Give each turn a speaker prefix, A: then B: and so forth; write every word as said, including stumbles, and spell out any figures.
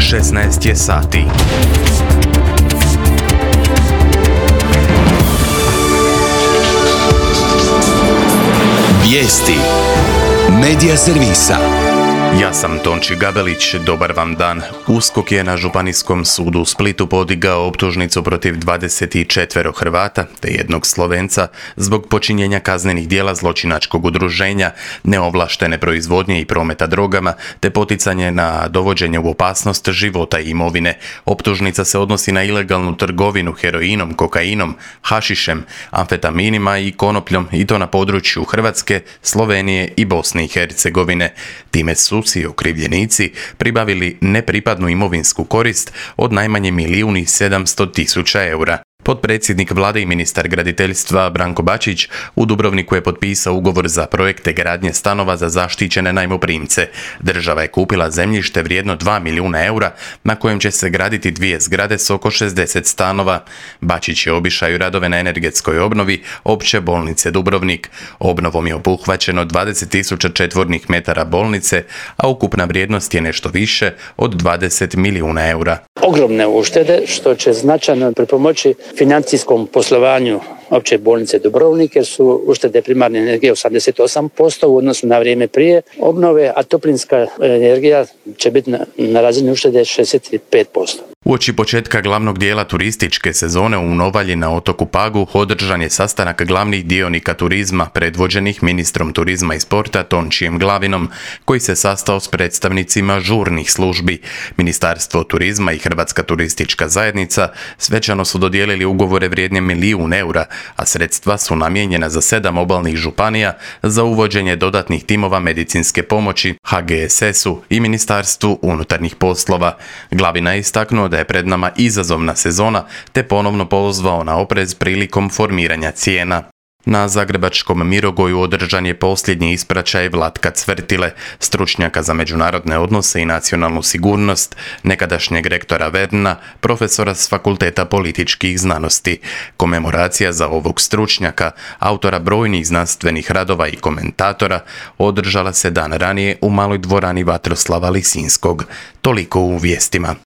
A: šesnaest je sati.
B: Vijesti Medija servisa.
A: Ja sam Tonči Gabelić, dobar vam dan. USKOK je na Županijskom sudu u Splitu podigao optužnicu protiv dvadeset četiri Hrvata te jednog Slovenca zbog počinjenja kaznenih djela zločinačkog udruženja, neovlaštene proizvodnje i prometa drogama te poticanje na dovođenje u opasnost života i imovine. Optužnica se odnosi na ilegalnu trgovinu heroinom, kokainom, hašišem, amfetaminima i konopljom i to na području Hrvatske, Slovenije i Bosne i Hercegovine. Time su i okrivljenici pribavili nepripadnu imovinsku korist od najmanje milijun i sedamsto tisuća eura. Potpredsjednik vlade i ministar graditeljstva Branko Bačić u Dubrovniku je potpisao ugovor za projekte gradnje stanova za zaštićene najmoprimce. Država je kupila zemljište vrijedno dva milijuna eura na kojem će se graditi dvije zgrade s oko šezdeset stanova. Bačić je obišao radove na energetskoj obnovi Opće bolnice Dubrovnik. Obnovom je obuhvaćeno dvadeset tisuća četvornih metara bolnice, a ukupna vrijednost je nešto više od dvadeset milijuna eura.
C: Ogromne uštede što će značajno pripomoći financijskom poslovanju Opće bolnice Dubrovnik, jer su uštede primarne energije osamdeset osam posto u odnosu na vrijeme prije obnove, a toplinska energija će biti na, na razini uštede šezdeset pet posto.
A: Uoči početka glavnog dijela turističke sezone u Novalji na otoku Pagu održan je sastanak glavnih dionika turizma predvođenih ministrom turizma i sporta Tončijem Glavinom, koji se sastao s predstavnicima žurnih službi. Ministarstvo turizma i Hrvatska turistička zajednica svečano su dodijelili ugovore vrijedne milijun eura, a sredstva su namijenjena za sedam obalnih županija za uvođenje dodatnih timova medicinske pomoći H G S S-u i Ministarstvu unutarnjih poslova. Glavina je istaknuo da je pred nama izazovna sezona te ponovno pozvao na oprez prilikom formiranja cijena. Na zagrebačkom Mirogoju održan je posljednji ispraćaj Vlatka Cvrtile, stručnjaka za međunarodne odnose i nacionalnu sigurnost, nekadašnjeg rektora Verna, profesora s Fakulteta političkih znanosti. Komemoracija za ovog stručnjaka, autora brojnih znanstvenih radova i komentatora, održala se dan ranije u maloj dvorani Vatroslava Lisinskog. Toliko u vijestima.